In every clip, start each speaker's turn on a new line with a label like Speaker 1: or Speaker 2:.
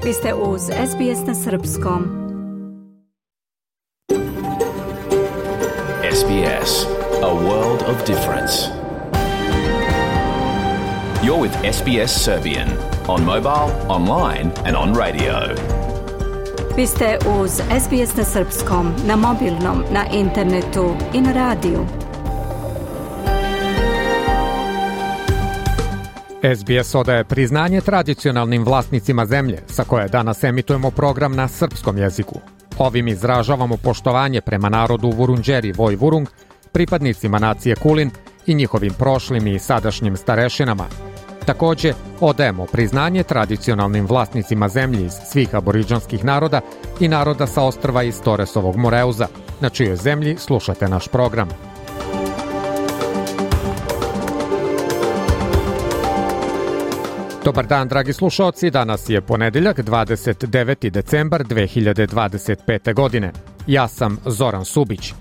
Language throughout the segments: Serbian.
Speaker 1: Vi ste uz SBS na Srpskom.
Speaker 2: SBS, a world of difference. You're with SBS Serbian on mobile, online and on radio.
Speaker 1: Vi ste uz SBS na Srpskom, na mobilnom, na internetu i na radiju.
Speaker 3: SBS odaje priznanje tradicionalnim vlasnicima zemlje, sa koje danas emitujemo program na srpskom jeziku. Ovim izražavamo poštovanje prema narodu Vurundjeri Vojvurung, pripadnicima nacije Kulin i njihovim prošlim i sadašnjim starešinama. Takođe, odajemo priznanje tradicionalnim vlasnicima zemlji iz svih aboriđanskih naroda i naroda sa ostrva iz Toresovog Moreuza, na čijoj zemlji slušate naš program. Dobar dan, dragi slušaoci, danas je ponedeljak, 29. decembar 2025. godine. Ja sam Zoran Subić.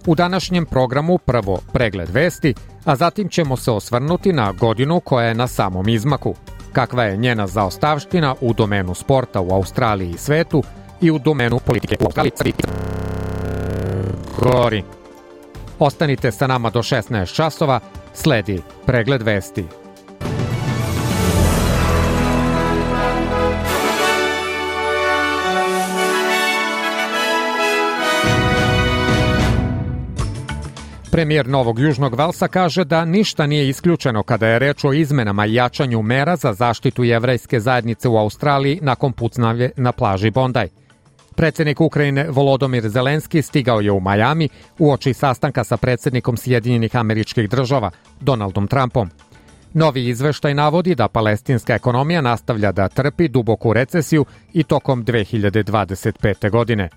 Speaker 3: U današnjem programu prvo pregled vesti, a zatim ćemo se osvrnuti na godinu koja je na samom izmaku. Kakva je njena zaostavština u domenu sporta u Australiji i svetu i u domenu politike u Australiji. Gori. Ostanite sa nama do 16 časova, sledi pregled vesti. Premijer Novog Južnog Velsa kaže da ništa nije isključeno kada je reč o izmenama i jačanju mera za zaštitu jevrejske zajednice u Australiji nakon pucnjave na plaži Bondi. Predsjednik Ukrajine Volodymyr Zelenski stigao je u Miami uoči sastanka sa predsjednikom Sjedinjenih Američkih Država, Donaldom Trumpom. Novi izveštaj navodi da palestinska ekonomija nastavlja da trpi duboku recesiju i tokom 2025. godine.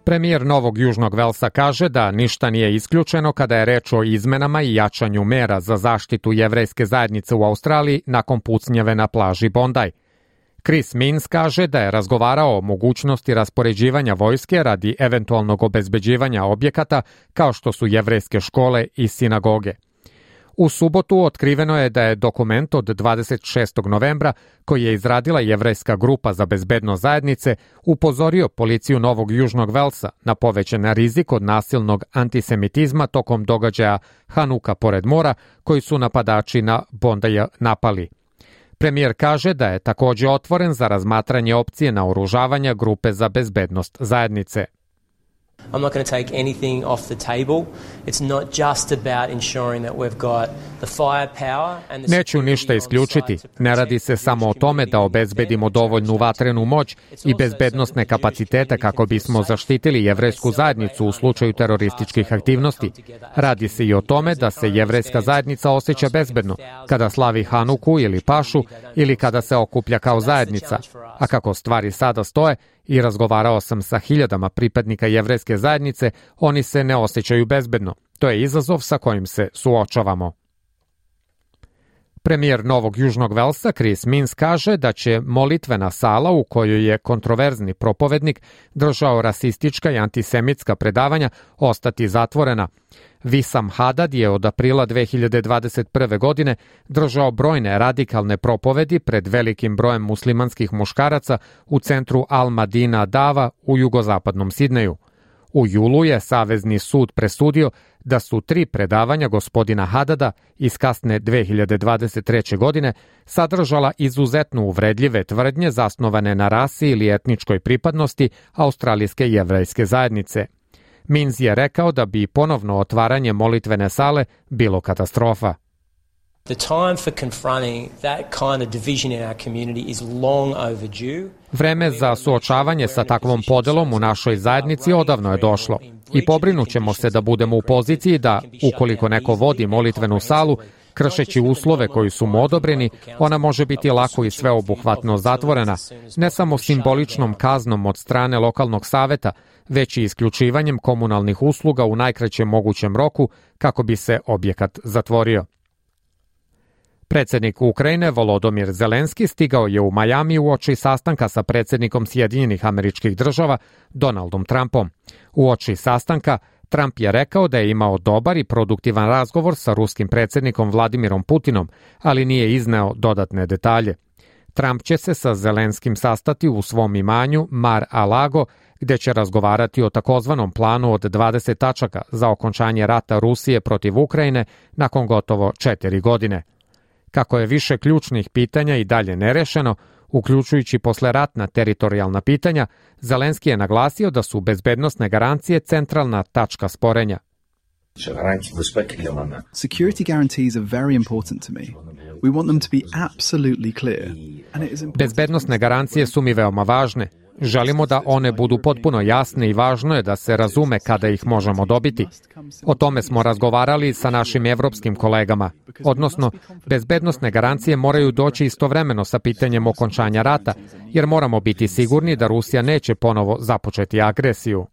Speaker 3: Premijer Novog Južnog Velsa kaže da ništa nije isključeno kada je reč o izmenama i jačanju mera za zaštitu jevrejske zajednice u Australiji nakon pucnjave na plaži Bondi. Chris Minns kaže da je razgovarao o mogućnosti raspoređivanja vojske radi eventualnog obezbeđivanja objekata kao što su jevrejske škole i sinagoge. U subotu otkriveno je da je dokument od 26. novembra, koji je izradila jevrejska grupa za bezbednost zajednice, upozorio policiju Novog Južnog Velsa na povećan rizik od nasilnog antisemitizma tokom događaja Hanuka pored mora, koji su napadači na Bondija napali. Premijer kaže da je takođe otvoren za razmatranje opcije naoružavanja grupe za bezbednost zajednice.
Speaker 4: I'm not going to take anything off the table. It's not just about ensuring that we've got the firepower and the
Speaker 3: Neću ništa isključiti. Ne radi se samo o tome da obezbedimo dovoljnu vatrenu moć i bezbednosne kapacitete kako bismo zaštitili jevrejsku zajednicu u slučaju terorističkih aktivnosti. Radi se i o tome da se jevrejska zajednica osjeća bezbedno kada slavi Hanuku ili Pašu ili kada se okuplja kao zajednica. A kako stvari sada stoje, i razgovarao sam sa hiljadama pripadnika jevrejske zajednice, oni se ne osjećaju bezbedno. To je izazov sa kojim se suočavamo. Premijer Novog Južnog Velsa Chris Minns kaže da će molitvena sala u kojoj je kontroverzni propovednik držao rasistička i antisemitska predavanja ostati zatvorena. Wissam Hadad je od aprila 2021. godine držao brojne radikalne propovedi pred velikim brojem muslimanskih muškaraca u centru Al-Madina Dava u jugozapadnom Sidneju. U julu je Savezni sud presudio da su 3 predavanja gospodina Hadada iz kasne 2023. godine sadržala izuzetno uvredljive tvrdnje zasnovane na rasi ili etničkoj pripadnosti australijske jevrejske zajednice. Minns je rekao da bi ponovno otvaranje molitvene sale bilo katastrofa.
Speaker 4: The time for confronting that kind of division in our community is long overdue.
Speaker 3: Vreme za suočavanje sa takvom podelom u našoj zajednici odavno je došlo i pobrinućemo se da budemo u poziciji da, ukoliko neko vodi molitvenu salu, kršeći uslove koji su mu odobreni, ona može biti lako i sveobuhvatno zatvorena, ne samo simboličnom kaznom od strane lokalnog saveta, već i isključivanjem komunalnih usluga u najkraćem mogućem roku kako bi se objekat zatvorio. Predsjednik Ukrajine Volodymyr Zelenski stigao je u Majami uoči sastanka sa predsjednikom Sjedinjenih Američkih Država Donaldom Trumpom. Uoči sastanka Trump je rekao da je imao dobar i produktivan razgovor sa ruskim predsjednikom Vladimirom Putinom, ali nije izneo dodatne detalje. Trump će se sa Zelenskim sastati u svom imanju Mar-a-Lago, gde će razgovarati o takozvanom planu od 20 tačaka za okončanje rata Rusije protiv Ukrajine nakon gotovo 4 godine. Kako je više ključnih pitanja i dalje nerešeno, uključujući posleratna teritorijalna pitanja, Zelenski je naglasio da su bezbednosne garancije centralna tačka sporenja.
Speaker 5: Security guarantees are very important to me. We want them to be absolutely clear.
Speaker 3: Bezbednosne garancije su mi veoma važne. Želimo da one budu potpuno jasne i važno je da se razume kada ih možemo dobiti. O tome smo razgovarali sa našim evropskim kolegama. Odnosno, bezbednosne garancije moraju doći istovremeno sa pitanjem okončanja rata, jer moramo biti sigurni da Rusija neće ponovo započeti agresiju.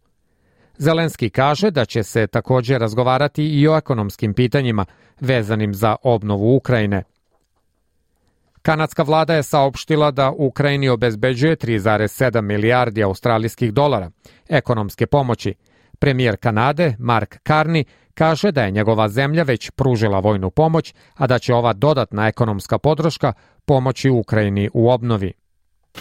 Speaker 3: Zelenski kaže da će se također razgovarati i o ekonomskim pitanjima vezanim za obnovu Ukrajine. Kanadska vlada je saopštila da Ukrajini obezbeđuje 3,7 milijardi australijskih dolara ekonomske pomoći. Premijer Kanade, Mark Carney, kaže da je njegova zemlja već pružila vojnu pomoć, a da će ova dodatna ekonomska podrška pomoći Ukrajini u obnovi.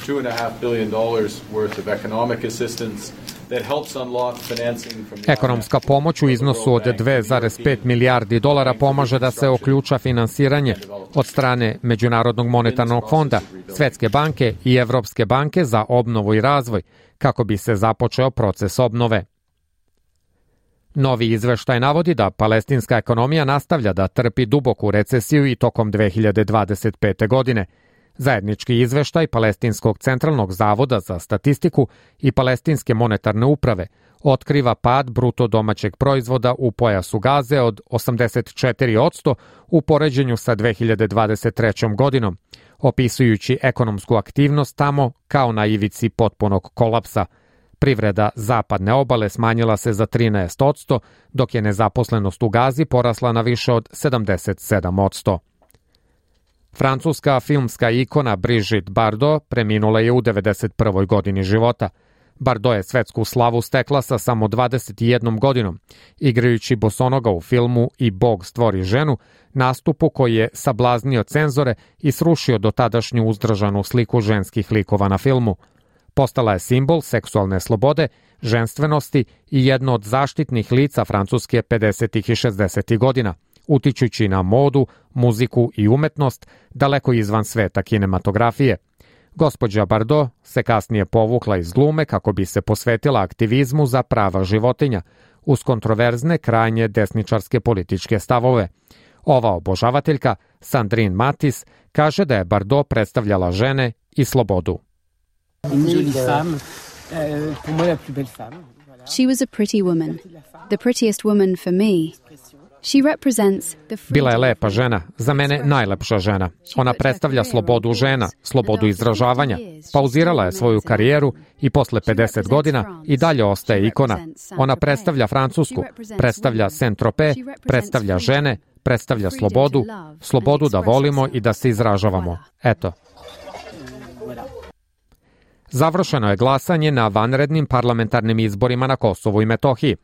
Speaker 6: $2.5 billion worth of economic assistance that helps unlock financing from the
Speaker 3: Ekonomska pomoć u iznosu od 2,5 milijardi dolara pomaže da se oključa finansiranje od strane Međunarodnog monetarnog fonda, Svetske banke i Evropske banke za obnovu i razvoj, kako bi se započeo proces obnove. Novi izveštaj navodi da palestinska ekonomija nastavlja da trpi duboku recesiju i tokom 2025. godine. Zajednički izveštaj Palestinskog centralnog zavoda za statistiku i Palestinske monetarne uprave otkriva pad bruto domaćeg proizvoda u pojasu Gaze od 84% u poređenju sa 2023. godinom, opisujući ekonomsku aktivnost tamo kao na ivici potpunog kolapsa. Privreda zapadne obale smanjila se za 13%, dok je nezaposlenost u Gazi porasla na više od 77%. Francuska filmska ikona Brigitte Bardot preminula je u 91. godini života. Bardot je svetsku slavu stekla sa samo 21 godinom, igrajući bosonoga u filmu I Bog stvori ženu, nastupu koji je sablaznio cenzore i srušio dotadašnju uzdržanu sliku ženskih likova na filmu. Postala je simbol seksualne slobode, ženstvenosti i jedno od zaštitnih lica Francuske 50. i 60. godina, utičući na modu, muziku i umetnost daleko izvan sveta kinematografije. Gospođa Bardot se kasnije povukla iz glume kako bi se posvetila aktivizmu za prava životinja, uz kontroverzne krajnje desničarske političke stavove. Ova obožavateljka, Sandrine Matis, kaže da je Bardot predstavljala žene i slobodu.
Speaker 7: She was a pretty woman, the prettiest woman for me.
Speaker 3: Bila je lepa žena, za mene najlepša žena. Ona predstavlja slobodu žena, slobodu izražavanja. Pauzirala je svoju karijeru i posle 50 godina i dalje ostaje ikona. Ona predstavlja Francusku, predstavlja Saint-Tropez, predstavlja žene, predstavlja slobodu, slobodu da volimo i da se izražavamo. Eto. Završeno je glasanje na vanrednim parlamentarnim izborima na Kosovu i Metohiji.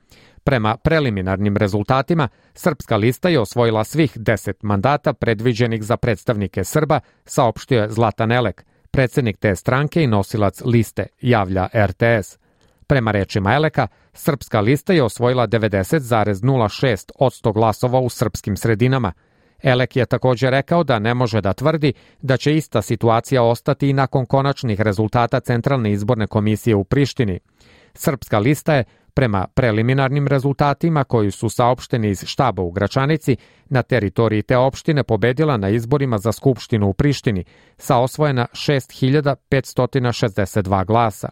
Speaker 3: Prema preliminarnim rezultatima, Srpska lista je osvojila svih 10 mandata predviđenih za predstavnike Srba, saopštio je Zlatan Elek, predsjednik te stranke i nosilac liste, javlja RTS. Prema rečima Eleka, Srpska lista je osvojila 90,06% glasova u srpskim sredinama. Elek je također rekao da ne može da tvrdi da će ista situacija ostati i nakon konačnih rezultata Centralne izborne komisije u Prištini. Srpska lista je, prema preliminarnim rezultatima koji su saopšteni iz štaba u Gračanici, na teritoriji te opštine pobedila na izborima za Skupštinu u Prištini sa osvojena 6.562 glasa.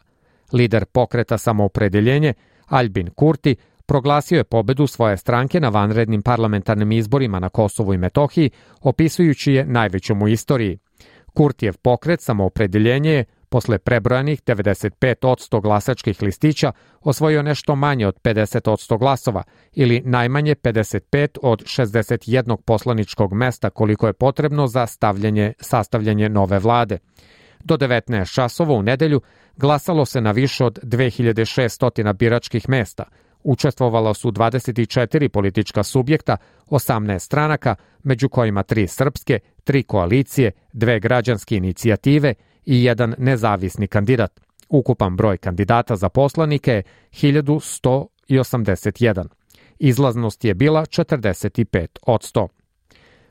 Speaker 3: Lider pokreta Samoopredeljenje, Albin Kurti, proglasio je pobedu svoje stranke na vanrednim parlamentarnim izborima na Kosovu i Metohiji, opisujući je najvećom u istoriji. Kurtijev pokret Samoopredeljenje je posle prebrojanih 95% glasačkih listića osvojio nešto manje od 50% glasova ili najmanje 55 od 61 poslaničkog mesta koliko je potrebno za sastavljanje nove vlade. Do 19 časova u nedelju glasalo se na više od 2600 biračkih mesta. Učestvovalo su 24 politička subjekta, 18 stranaka, među kojima 3 srpske, 3 koalicije, 2 građanske inicijative i jedan nezavisni kandidat. Ukupan broj kandidata za poslanike je 1181. Izlaznost je bila 45%.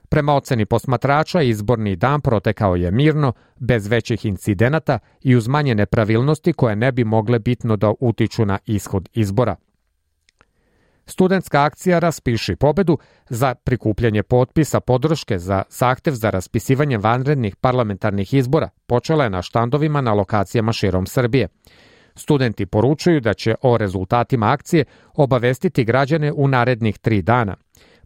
Speaker 3: Prema oceni posmatrača, izborni dan protekao je mirno, bez većih incidenata i uz manje nepravilnosti koje ne bi mogle bitno da utiču na ishod izbora. Studentska akcija Raspiši pobedu za prikupljanje potpisa podrške za zahtev za raspisivanje vanrednih parlamentarnih izbora počela je na štandovima na lokacijama širom Srbije. Studenti poručuju da će o rezultatima akcije obavestiti građane u narednih 3 dana.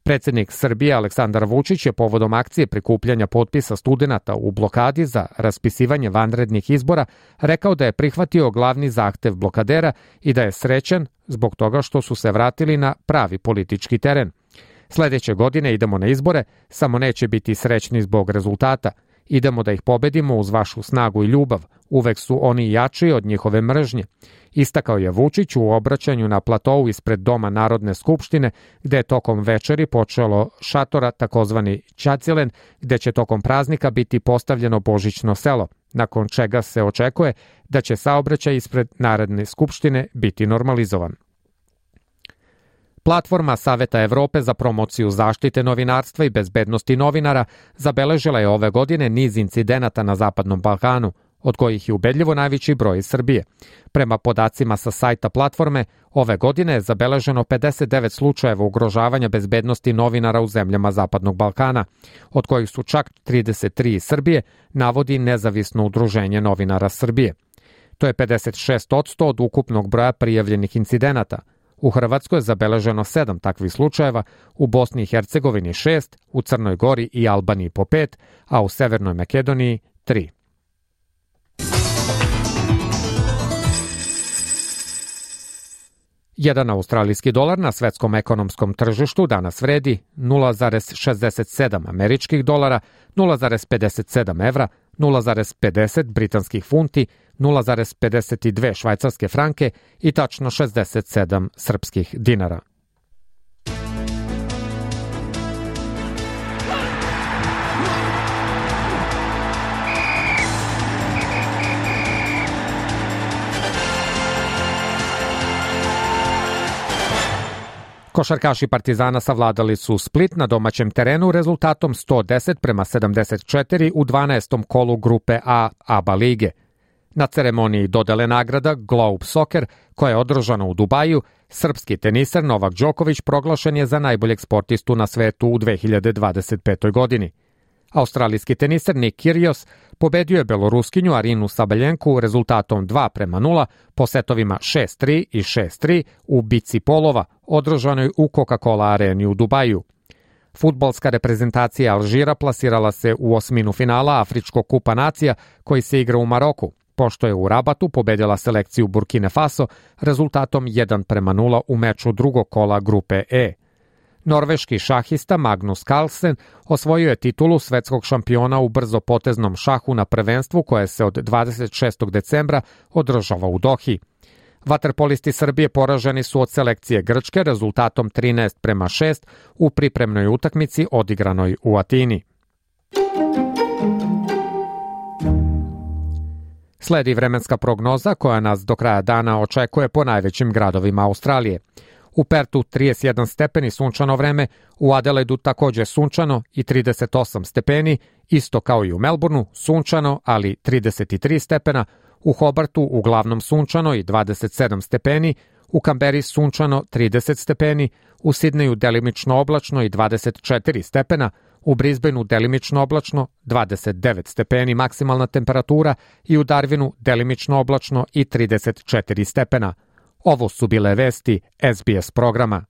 Speaker 3: Predsjednik Srbije Aleksandar Vučić je povodom akcije prikupljanja potpisa studenata u blokadi za raspisivanje vanrednih izbora rekao da je prihvatio glavni zahtev blokadera i da je srećan zbog toga što su se vratili na pravi politički teren. Sledeće godine idemo na izbore, samo neće biti srećni zbog rezultata. Idemo da ih pobedimo uz vašu snagu i ljubav. Uvek su oni jači od njihove mržnje. Istakao je Vučić u obraćanju na platou ispred Doma Narodne skupštine, gde je tokom večeri počelo šatora takozvani Ćacilen, gde će tokom praznika biti postavljeno božićno selo, nakon čega se očekuje da će saobraćaj ispred Narodne skupštine biti normalizovan. Platforma Saveta Evrope za promociju zaštite novinarstva i bezbednosti novinara zabeležila je ove godine niz incidenata na Zapadnom Balkanu, od kojih je ubedljivo najveći broj iz Srbije. Prema podacima sa sajta platforme, ove godine je zabeleženo 59 slučajeva ugrožavanja bezbednosti novinara u zemljama Zapadnog Balkana, od kojih su čak 33 iz Srbije, navodi Nezavisno udruženje novinara Srbije. To je 56% od ukupnog broja prijavljenih incidenata. U Hrvatskoj je zabeleženo 7 takvih slučajeva, u Bosni i Hercegovini 6, u Crnoj Gori i Albaniji po 5, a u Severnoj Makedoniji 3. Jedan australijski dolar na svetskom ekonomskom tržištu danas vredi 0,67 američkih dolara, 0,57 evra, 0,50 britanskih funti, 0,52 švajcarske franke i tačno 67 srpskih dinara. Košarkaši Partizana savladali su Split na domaćem terenu rezultatom 110-74 u 12. kolu grupe A ABA lige. Na ceremoniji dodele nagrada Globe Soccer, koja je održana u Dubaju, srpski teniser Novak Đoković proglašen je za najboljeg sportistu na svetu u 2025. godini. Australijski teniser Nick Kyrgios pobedio je beloruskinju Arinu Sabaljenku rezultatom 2:0 po setovima 6-3 i 6-3 u bici polova, održanoj u Coca-Cola areni u Dubaju. Fudbalska reprezentacija Alžira plasirala se u osminu finala Afričkog kupa nacija koji se igra u Maroku, pošto je u Rabatu pobedila selekciju Burkine Faso rezultatom 1:0 u meču drugog kola grupe E. Norveški šahista Magnus Carlsen osvojio je titulu svetskog šampiona u brzopoteznom šahu na prvenstvu koje se od 26. decembra održava u Dohi. Vaterpolisti Srbije poraženi su od selekcije Grčke rezultatom 13:6 u pripremnoj utakmici odigranoj u Atini. Sledi vremenska prognoza koja nas do kraja dana očekuje po najvećim gradovima Australije. U Pertu 31 stepeni sunčano vreme, u Adelaidu takođe sunčano i 38 stepeni, isto kao i u Melbourneu sunčano, ali 33 stepena, u Hobartu uglavnom sunčano i 27 stepeni, u Kamberi sunčano 30 stepeni, u Sidneju delimično oblačno i 24 stepena, u Brisbaneu delimično oblačno 29 stepeni maksimalna temperatura i u Darwinu delimično oblačno i 34 stepena. Ovo su bile vesti SBS programa.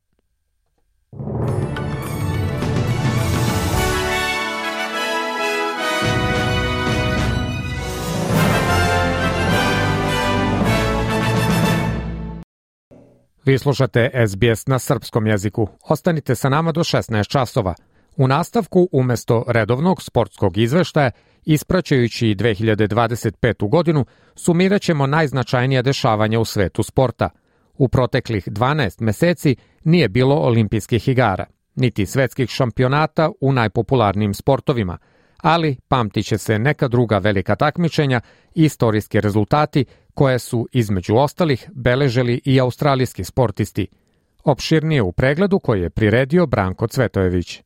Speaker 3: Vi slušate SBS na srpskom jeziku. Ostanite sa nama do 16 časova. U nastavku, umjesto redovnog sportskog izveštaja, ispraćajući 2025. godinu, sumirat ćemo najznačajnija dešavanja u svetu sporta. U proteklih 12 meseci nije bilo olimpijskih igara, niti svetskih šampionata u najpopularnijim sportovima, ali pamtit će se neka druga velika takmičenja i istorijski rezultati koje su, između ostalih, beležili i australijski sportisti. Opširnije u pregledu koji je priredio Branko Cvetojević.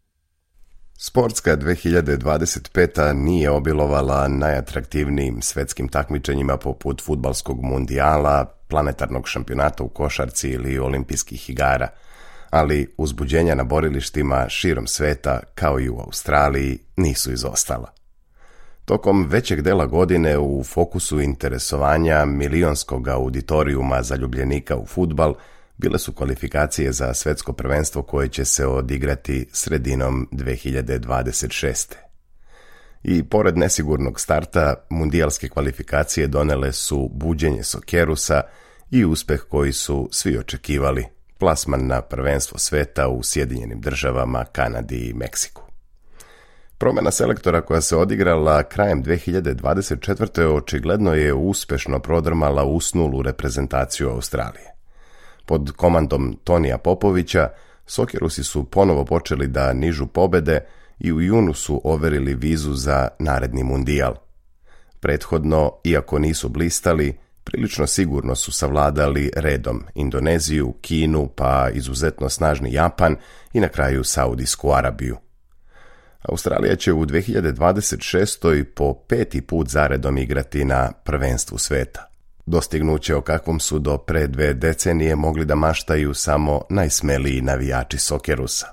Speaker 8: Sportska 2025. nije obilovala najatraktivnijim svetskim takmičenjima poput fudbalskog mundijala, planetarnog šampionata u košarci ili olimpijskih igara, ali uzbuđenja na borilištima širom sveta, kao i u Australiji, nisu izostala. Tokom većeg dela godine u fokusu interesovanja milionskog auditorijuma zaljubljenika u fudbal bile su kvalifikacije za svetsko prvenstvo koje će se odigrati sredinom 2026. I pored nesigurnog starta, mundijalske kvalifikacije donele su buđenje Sokerusa i uspeh koji su svi očekivali, plasman na prvenstvo sveta u Sjedinjenim Državama, Kanadi i Meksiku. Promjena selektora koja se odigrala krajem 2024. očigledno je uspešno prodrmala usnulu reprezentaciju Australije. Pod komandom Tonija Popovića, Sokerusi su ponovo počeli da nižu pobede i u junu su overili vizu za naredni mundijal. Prethodno, iako nisu blistali, prilično sigurno su savladali redom Indoneziju, Kinu, pa izuzetno snažni Japan i na kraju Saudijsku Arabiju. Australija će u 2026. po 5. put zaredom igrati na prvenstvu sveta. Dostignuće o kakvom su do pre 2 decenije mogli da maštaju samo najsmeliji navijači Sokerusa.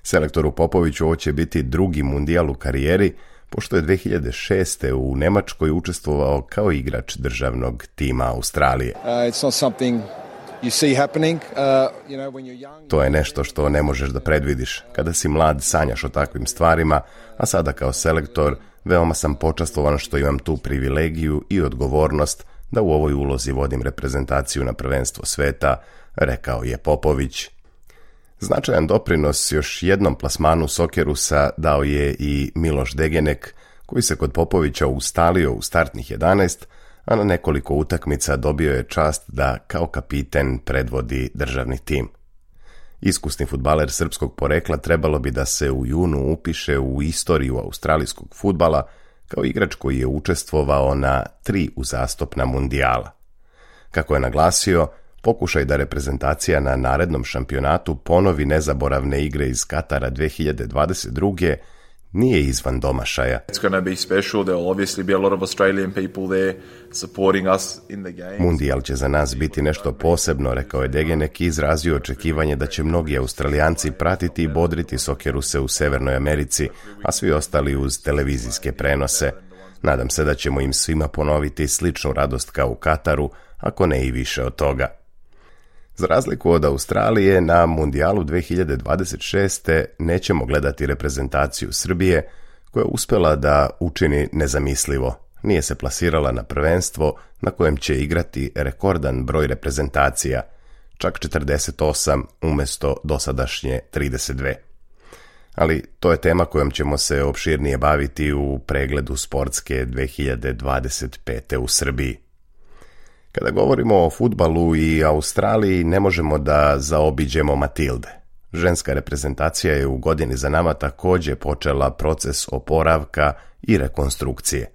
Speaker 8: Selektoru Popoviću ovo će biti drugi mundijal u karijeri, pošto je 2006. u Nemačkoj učestvovao kao igrač državnog tima Australije. To je nešto što ne možeš da predvidiš. Kada si mlad, sanjaš o takvim stvarima, a sada kao selektor veoma sam počastvovan što imam tu privilegiju i odgovornost da u ovoj ulozi vodim reprezentaciju na prvenstvo sveta, rekao je Popović. Značajan doprinos još jednom plasmanu Sokerusa dao je i Miloš Degenek, koji se kod Popovića ustalio u startnih 11, a na nekoliko utakmica dobio je čast da kao kapiten predvodi državni tim. Iskusni fudbaler srpskog porekla trebalo bi da se u junu upiše u istoriju australijskog fudbala kao igrač koji je učestvovao na 3 uzastopna mundijala. Kako je naglasio, pokušaj da reprezentacija na narednom šampionatu ponovi nezaboravne igre iz Katara 2022. nije izvan domašaja. Mundijal će za nas biti nešto posebno, rekao je Degenek i izrazio očekivanje da će mnogi Australijanci pratiti i bodriti Sokeruse u Severnoj Americi, a svi ostali uz televizijske prenose. Nadam se da ćemo im svima ponoviti sličnu radost kao u Kataru, ako ne i više od toga. Za razliku od Australije, na mundijalu 2026. nećemo gledati reprezentaciju Srbije, koja je uspjela da učini nezamislivo. Nije se plasirala na prvenstvo na kojem će igrati rekordan broj reprezentacija, čak 48 umjesto dosadašnje 32. Ali to je tema kojom ćemo se opširnije baviti u pregledu sportske 2025. u Srbiji. Kada govorimo o fudbalu i Australiji, ne možemo da zaobiđemo Matilde. Ženska reprezentacija je u godini za nama također počela proces oporavka i rekonstrukcije.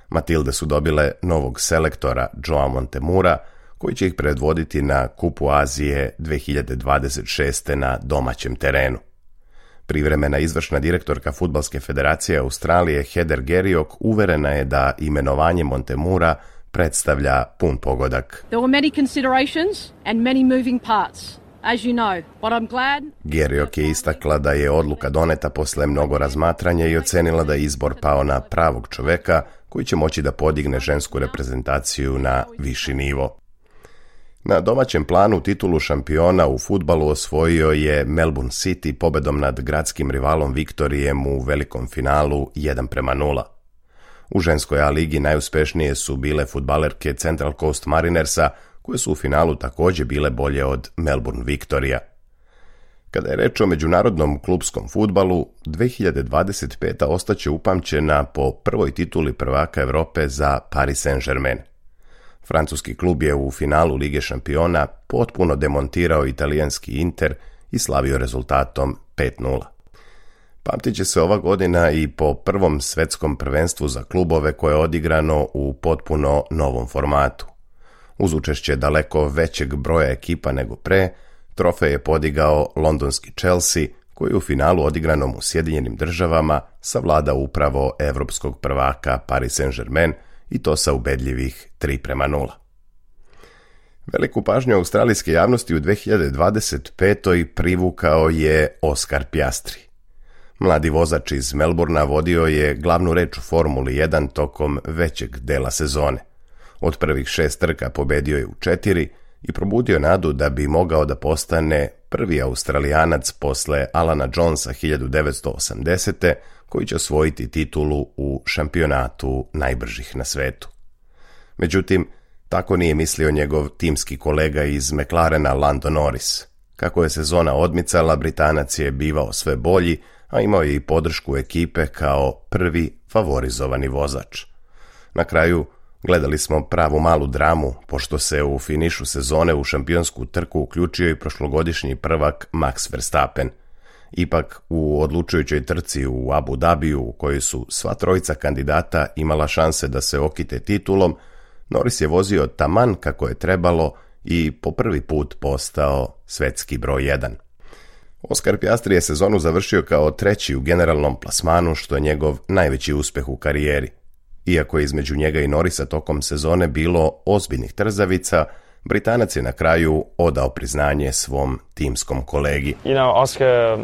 Speaker 8: Matilde su dobile novog selektora Joa Montemura, koji će ih predvoditi na Kupu Azije 2026. na domaćem terenu. Privremena izvršna direktorka Fudbalske federacije Australije Heather Geriok uverena je da imenovanje Montemura predstavlja pun pogodak. Geriok je istakla da je odluka doneta posle mnogo razmatranja i ocenila da je izbor pao na pravog čoveka koji će moći da podigne žensku reprezentaciju na viši nivo. Na domaćem planu titulu šampiona u fudbalu osvojio je Melbourne City pobedom nad gradskim rivalom Viktorijem u velikom finalu 1:0. U ženskoj A ligi najuspešnije su bile fudbalerke Central Coast Marinersa, koje su u finalu također bile bolje od Melbourne Victoria. Kada je reč o međunarodnom klupskom fudbalu, 2025. ostaće upamćena po prvoj tituli prvaka Europe za Paris Saint-Germain. Francuski klub je u finalu Lige šampiona potpuno demontirao italijanski Inter i slavio rezultatom 5:0. Pamtit će se ova godina i po prvom svetskom prvenstvu za klubove koje je odigrano u potpuno novom formatu. Uz učešće daleko većeg broja ekipa nego pre, trofej je podigao londonski Chelsea, koji u finalu odigranom u Sjedinjenim Državama savladao upravo evropskog prvaka Paris Saint-Germain i to sa ubedljivih 3:0. Veliku pažnju australijske javnosti u 2025. privukao je Oscar Piastri. Mladi vozač iz Melbournea vodio je glavnu reč u Formuli 1 tokom većeg dela sezone. Od prvih 6 trka pobedio je u 4 i probudio nadu da bi mogao da postane prvi Australijanac posle Alana Jonesa 1980. koji će osvojiti titulu u šampionatu najbržih na svetu. Međutim, tako nije mislio njegov timski kolega iz McLarena Lando Norris. Kako je sezona odmicala, Britanac je bivao sve bolji, a imao je i podršku ekipe kao prvi favorizovani vozač. Na kraju gledali smo pravu malu dramu, pošto se u finišu sezone u šampionsku trku uključio i prošlogodišnji prvak Max Verstappen. Ipak, u odlučujućoj trci u Abu Dhabiju, u kojoj su sva trojica kandidata imala šanse da se okite titulom, Norris je vozio taman kako je trebalo i po prvi put postao svetski broj 1. Oscar Piastri je sezonu završio kao 3. u generalnom plasmanu, što je njegov najveći uspeh u karijeri. Iako je između njega i Norrisa tokom sezone bilo ozbiljnih trzavica, Britanac je na kraju odao priznanje svom timskom kolegi.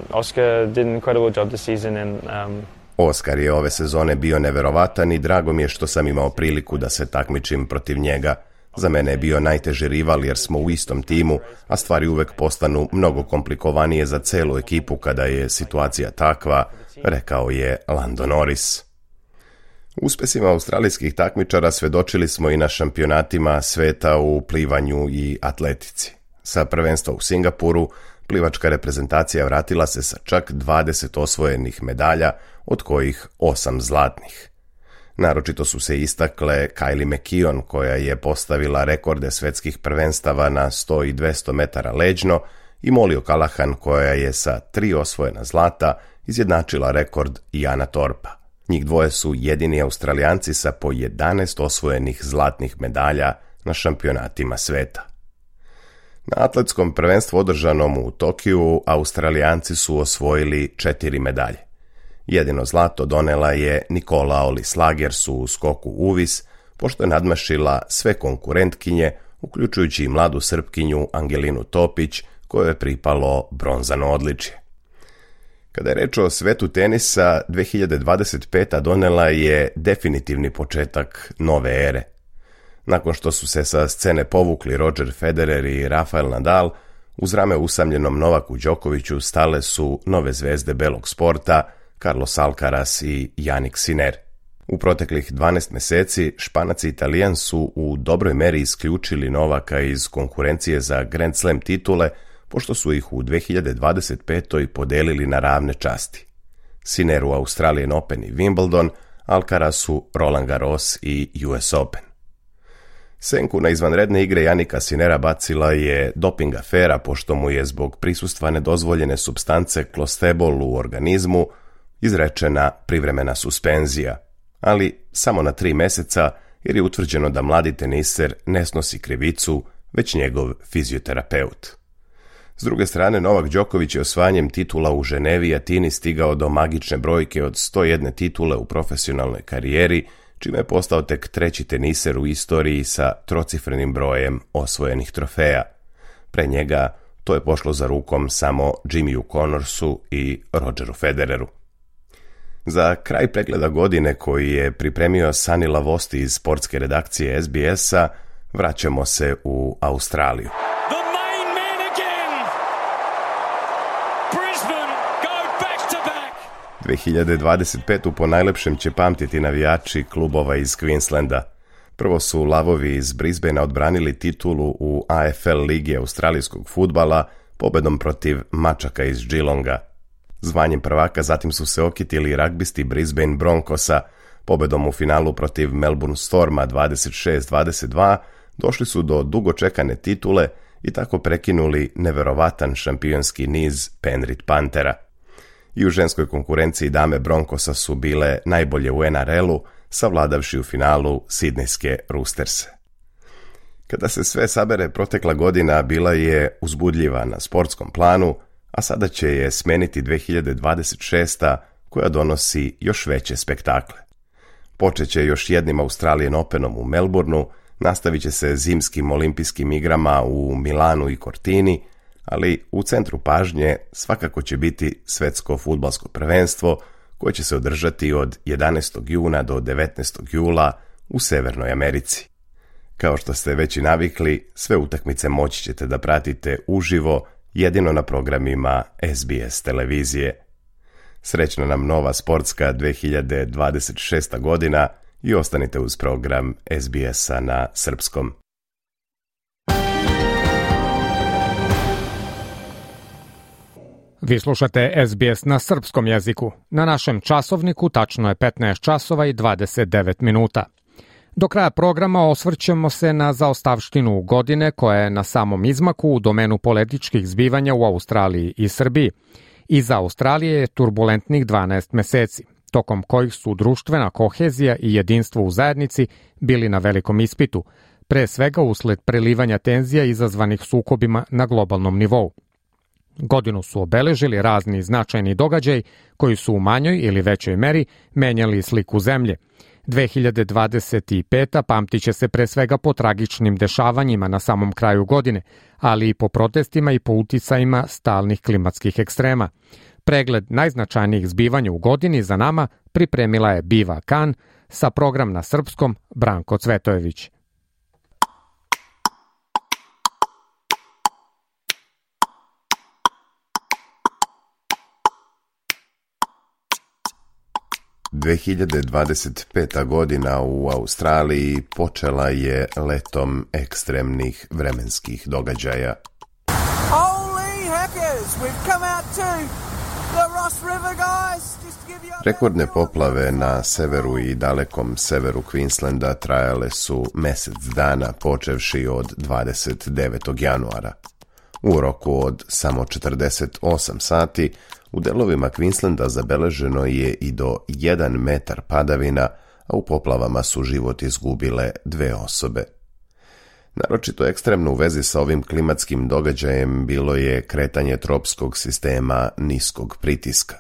Speaker 9: Oscar did an incredible job this season and
Speaker 8: Oscar je ove sezone bio neverovatan i drago mi je što sam imao priliku da se takmičim protiv njega. Za mene je bio najteži rival jer smo u istom timu, a stvari uvek postanu mnogo komplikovanije za celu ekipu kada je situacija takva, rekao je Lando Norris. Uspesima australijskih takmičara svedočili smo i na šampionatima sveta u plivanju i atletici. Sa prvenstva u Singapuru plivačka reprezentacija vratila se sa čak 20 osvojenih medalja, od kojih 8 zlatnih. Naročito su se istakle Kylie McKeown, koja je postavila rekorde svetskih prvenstava na 100 i 200 metara leđno, i Molly O'Callaghan, koja je sa 3 osvojena zlata izjednačila rekord Iana Thorpa. Njih dvoje su jedini Australijanci sa po 11 osvojenih zlatnih medalja na šampionatima sveta. Na atletskom prvenstvu održanom u Tokiju, Australijanci su osvojili 4 medalje. Jedino zlato donela je Nicola Olis-Lagers u skoku uvis, pošto je nadmašila sve konkurentkinje, uključujući i mladu Srpkinju Angelinu Topić, kojoj je pripalo bronzano odličje. Kada je reč o svetu tenisa, 2025. donela je definitivni početak nove ere. Nakon što su se sa scene povukli Roger Federer i Rafael Nadal, uz rame usamljenom Novaku Đokoviću stale su nove zvezde belog sporta, Carlos Alcaraz i Jannik Sinner. U proteklih 12 meseci Španac i Italijan su u dobroj meri isključili Novaka iz konkurencije za Grand Slam titule, pošto su ih u 2025. podelili na ravne časti. Sinneru Australian Open i Wimbledon, Alcarazu Roland Garros i US Open. Senku na izvanredne igre Jannika Sinnera bacila je doping afera, pošto mu je zbog prisustva nedozvoljene supstance klostebol u organizmu izrečena privremena suspenzija, ali samo na 3 meseca, jer je utvrđeno da mladi teniser ne snosi krivicu, već njegov fizioterapeut. S druge strane, Novak Đoković je osvajanjem titula u Ženevi i Atini stigao do magične brojke od 101 titule u profesionalnoj karijeri, čime je postao tek 3. teniser u istoriji sa trocifrenim brojem osvojenih trofeja. Pre njega to je pošlo za rukom samo Jimmyu Connorsu i Rogeru Federeru. Za kraj pregleda godine koji je pripremio Sani Lavosti iz sportske redakcije SBS-a, vraćamo se u Australiju. 2025. po najlepšem će pamtiti navijači klubova iz Queenslanda. Prvo su lavovi iz Brisbanea odbranili titulu u AFL ligi australijskog fudbala pobedom protiv mačaka iz Geelonga. Zvanjem prvaka zatim su se okitili ragbisti Brisbane Broncosa. Pobedom u finalu protiv Melbourne Storma 26-22 došli su do dugo čekane titule i tako prekinuli neverovatan šampionski niz Penrith Panthera. I u ženskoj konkurenciji dame Broncosa su bile najbolje u NRL-u, savladavši u finalu sidnejske Roosterse. Kada se sve sabere, protekla godina bila je uzbudljiva na sportskom planu, a sada će je smeniti 2026. koja donosi još veće spektakle. Počeće još jednim Australian Openom u Melbourneu, nastavit će se zimskim olimpijskim igrama u Milanu i Cortini, ali u centru pažnje svakako će biti svetsko fudbalsko prvenstvo koje će se održati od 11. juna do 19. jula u Severnoj Americi. Kao što ste već i navikli, sve utakmice moći ćete da pratite uživo jedino na programima SBS televizije. Srećna nam nova sportska 2026. godina i ostanite uz program SBS-a na srpskom.
Speaker 3: Vi slušate SBS na srpskom jeziku. Na našem časovniku tačno je 15 časova i 29 minuta. Do kraja programa osvrćemo se na zaostavštinu godine koja je na samom izmaku u domenu političkih zbivanja u Australiji i Srbiji. Iza Australije je turbulentnih 12 meseci, tokom kojih su društvena kohezija i jedinstvo u zajednici bili na velikom ispitu, pre svega usled prelivanja tenzija izazvanih sukobima na globalnom nivou. Godinu su obeležili razni značajni događaji koji su u manjoj ili većoj meri menjali sliku zemlje. 2025. pamtit će se pre svega po tragičnim dešavanjima na samom kraju godine, ali i po protestima i po uticajima stalnih klimatskih ekstrema. Pregled najznačajnijih zbivanja u godini za nama pripremila je Biva Kan, sa program na srpskom Branko Cvetojević.
Speaker 8: – 2025. godina u Australiji počela je letom ekstremnih vremenskih događaja. Rekordne poplave na severu i dalekom severu Queenslanda trajale su mesec dana počevši od 29. januara. U roku od samo 48 sati u delovima Queenslanda zabeleženo je i do 1 metar padavina, a u poplavama su život izgubile 2 osobe. Naročito ekstremno u vezi sa ovim klimatskim događajem bilo je kretanje tropskog sistema niskog pritiska.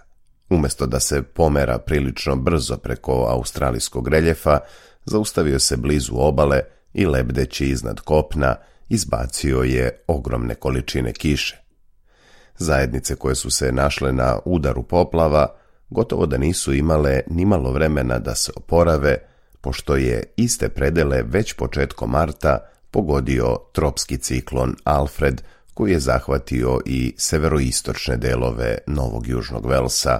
Speaker 8: Umjesto da se pomera prilično brzo preko australijskog reljefa, zaustavio se blizu obale i lebdeći iznad kopna izbacio je ogromne količine kiše. Zajednice koje su se našle na udaru poplava gotovo da nisu imale nimalo vremena da se oporave, pošto je iste predele već početkom marta pogodio tropski ciklon Alfred, koji je zahvatio i severoistočne delove Novog Južnog Velsa.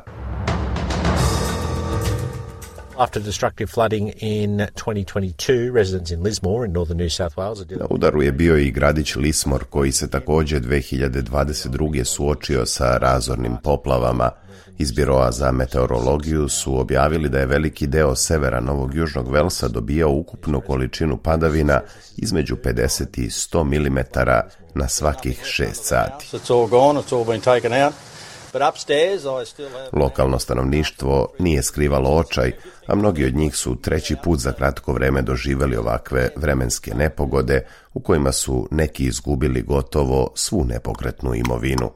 Speaker 10: After destructive flooding in 2022, residents in Lismore in northern New South Wales...
Speaker 8: Na udaru je bio i gradić Lismore, koji se također 2022. suočio sa razornim poplavama. Iz Biroa za meteorologiju su objavili da je veliki deo severa Novog Južnog Velsa dobijao ukupnu količinu padavina između 50 i 100 mm na svakih 6 sati. Lokalno stanovništvo nije skrivalo očaj, a mnogi od njih su treći put za kratko vreme doživjeli ovakve vremenske nepogode u kojima su neki izgubili gotovo svu nepokretnu imovinu.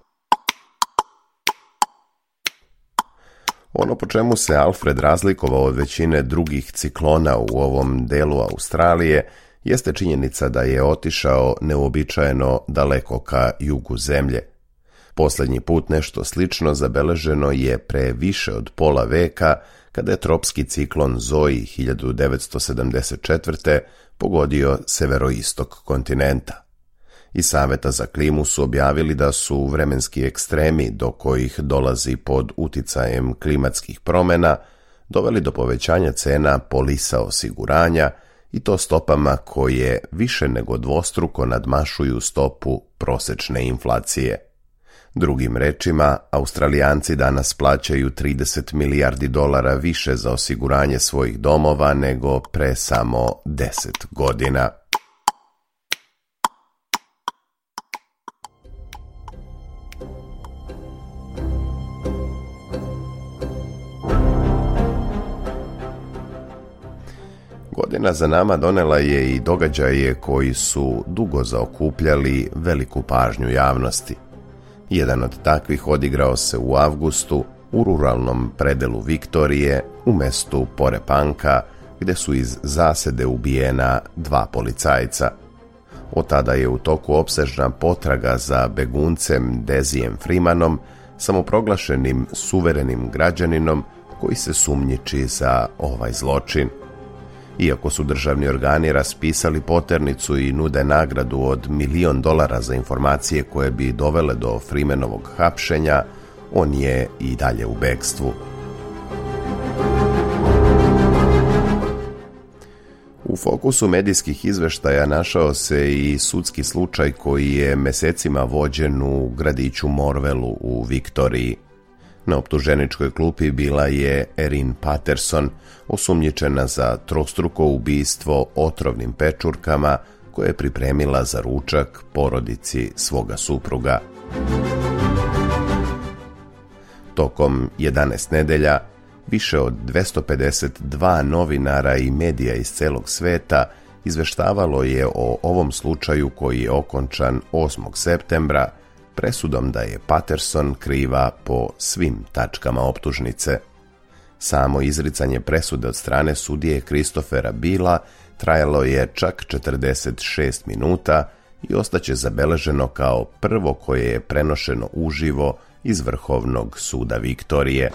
Speaker 8: Ono po čemu se Alfred razlikovao od većine drugih ciklona u ovom delu Australije jeste činjenica da je otišao neuobičajeno daleko ka jugu zemlje. Posljednji put nešto slično zabeleženo je pre više od pola veka, kada je tropski ciklon Zoe 1974. pogodio severoistok kontinenta. Iz Saveta za klimu su objavili da su vremenski ekstremi do kojih dolazi pod uticajem klimatskih promjena doveli do povećanja cena polisa osiguranja i to stopama koje više nego dvostruko nadmašuju stopu prosečne inflacije. Drugim rečima, Australijanci danas plaćaju 30 milijardi dolara više za osiguranje svojih domova nego pre samo 10 godina. Godina za nama donela je i događaje koji su dugo zaokupljali veliku pažnju javnosti. Jedan od takvih odigrao se u avgustu u ruralnom predelu Viktorije u mestu Porepanka, gde su iz zasede ubijena 2 policajca. Od tada je u toku opsežna potraga za beguncem Dezijem Freemanom, samoproglašenim suverenim građaninom koji se sumnjiči za ovaj zločin. Iako su državni organi raspisali poternicu i nude nagradu od $1 milion za informacije koje bi dovele do Freemanovog hapšenja, on je i dalje u bekstvu. U fokusu medijskih izveštaja našao se i sudski slučaj koji je mesecima vođen u gradiću Morvelu u Viktoriji. Na optuženičkoj klupi bila je Erin Patterson, osumnjičena za trostruko ubistvo otrovnim pečurkama koje je pripremila za ručak porodici svoga supruga. Tokom 11 nedelja, više od 252 novinara i medija iz celog sveta izveštavalo je o ovom slučaju koji je okončan 8. septembra, presudom da je Patterson kriva po svim tačkama optužnice. Samo izricanje presude od strane sudije Christophera Bila trajalo je čak 46 minuta i ostaće zabeleženo kao prvo koje je prenošeno uživo iz Vrhovnog suda Viktorije.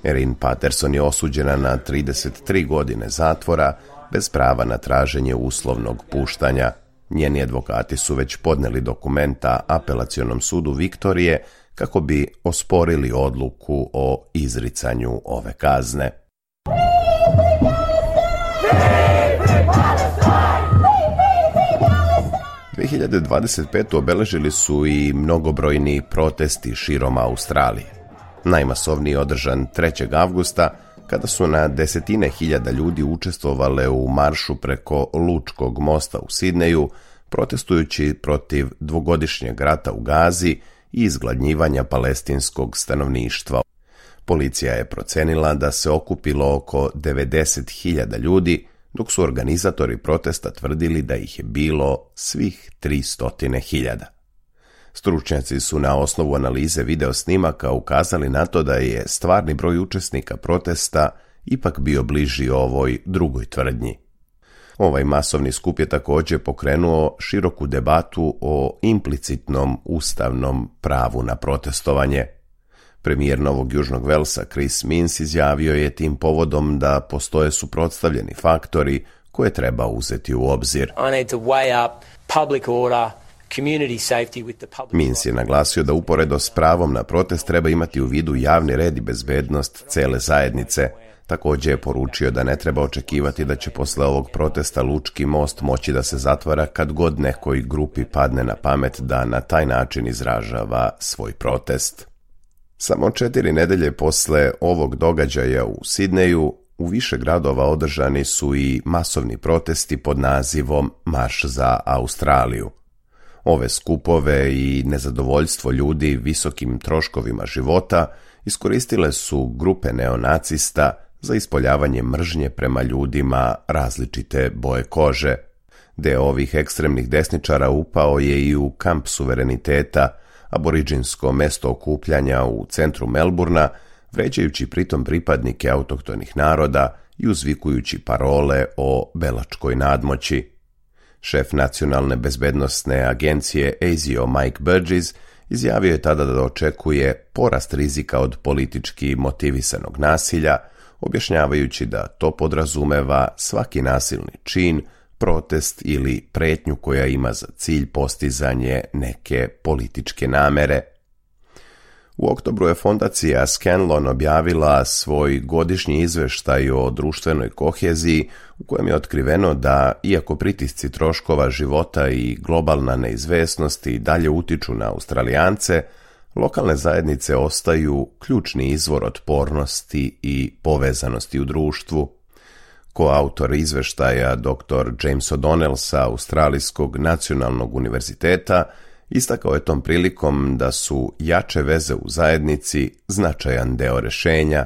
Speaker 8: Erin Patterson je osuđena na 33 godine zatvora bez prava na traženje uslovnog puštanja. Njeni advokati su već podneli dokumenta Apelacionom sudu Viktorije kako bi osporili odluku o izricanju ove kazne. U 2025. obeležili su i mnogobrojni protesti širom Australije. Najmasovniji održan 3. avgusta, kada su na desetine hiljada ljudi učestvovale u maršu preko Lučkog mosta u Sidneju, protestujući protiv dvogodišnjeg rata u Gazi i izgladnjivanja palestinskog stanovništva. Policija je procenila da se okupilo oko 90.000 ljudi, dok su organizatori protesta tvrdili da ih je bilo svih 300.000. Stručnjaci su na osnovu analize video snimaka ukazali na to da je stvarni broj učesnika protesta ipak bio bliži ovoj drugoj tvrdnji. Ovaj masovni skup je također pokrenuo široku debatu o implicitnom ustavnom pravu na protestovanje. Premijer Novog Južnog Velsa Chris Minns izjavio je tim povodom da postoje suprotstavljeni faktori koje treba uzeti u obzir. Minns je naglasio da uporedo s pravom na protest treba imati u vidu javni red i bezbednost cele zajednice. Također je poručio da ne treba očekivati da će posle ovog protesta Lučki most moći da se zatvara kad god nekoj grupi padne na pamet da na taj način izražava svoj protest. Samo 4 nedelje posle ovog događaja u Sidneju, u više gradova održani su i masovni protesti pod nazivom Marš za Australiju. Ove skupove i nezadovoljstvo ljudi visokim troškovima života iskoristile su grupe neonacista za ispoljavanje mržnje prema ljudima različite boje kože. Deo ovih ekstremnih desničara upao je i u kamp suvereniteta, aboriđinsko mesto okupljanja u centru Melburna, vređajući pritom pripadnike autohtonih naroda i uzvikujući parole o belačkoj nadmoći. Šef nacionalne bezbednosne agencije ASIO Mike Burgess izjavio je tada da očekuje porast rizika od politički motivisanog nasilja, objašnjavajući da to podrazumeva svaki nasilni čin, protest ili pretnju koja ima za cilj postizanje neke političke namere. U oktobru je fondacija Scanlon objavila svoj godišnji izveštaj o društvenoj koheziji u kojem je otkriveno da, iako pritisci troškova života i globalna neizvesnost i dalje utiču na Australijance, lokalne zajednice ostaju ključni izvor otpornosti i povezanosti u društvu. Koautor izveštaja dr. James O'Donnell sa Australijskog nacionalnog univerziteta istakao je tom prilikom da su jače veze u zajednici značajan deo rešenja.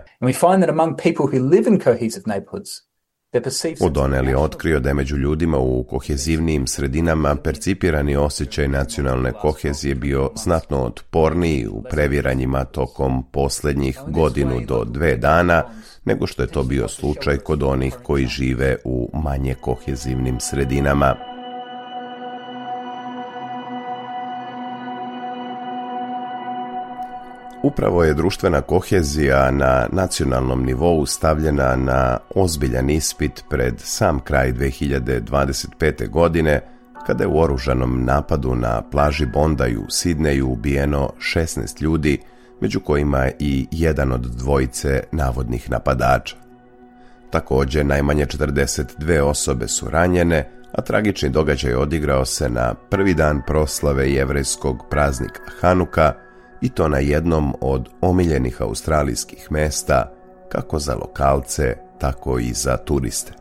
Speaker 8: O'Donnell je otkrio da je među ljudima u kohezivnijim sredinama percipirani osjećaj nacionalne kohezije bio znatno otporniji u previranjima tokom posljednjih 1 do 2 dana, nego što je to bio slučaj kod onih koji žive u manje kohezivnim sredinama. Upravo je društvena kohezija na nacionalnom nivou stavljena na ozbiljan ispit pred sam kraj 2025. godine, kada je u oružanom napadu na plaži Bondi u Sidneju ubijeno 16 ljudi, među kojima i jedan od dvojice navodnih napadača. Također, najmanje 42 osobe su ranjene, a tragični događaj odigrao se na prvi dan proslave jevrejskog praznika Hanuka, i to na jednom od omiljenih australijskih mesta, kako za lokalce, tako i za turiste.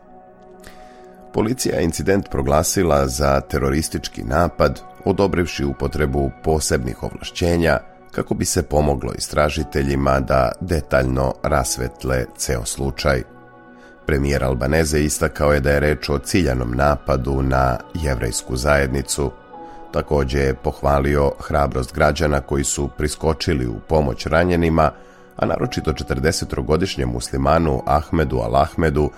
Speaker 8: Policija je incident proglasila za teroristički napad, odobrivši upotrebu posebnih ovlašćenja, kako bi se pomoglo istražiteljima da detaljno rasvetle ceo slučaj. Premijer Albanese istakao je da je reč o ciljanom napadu na jevrejsku zajednicu. Također je pohvalio hrabrost građana koji su priskočili u pomoć ranjenima, a naročito 40-godišnjem muslimanu Ahmedu Al-Ahmedu,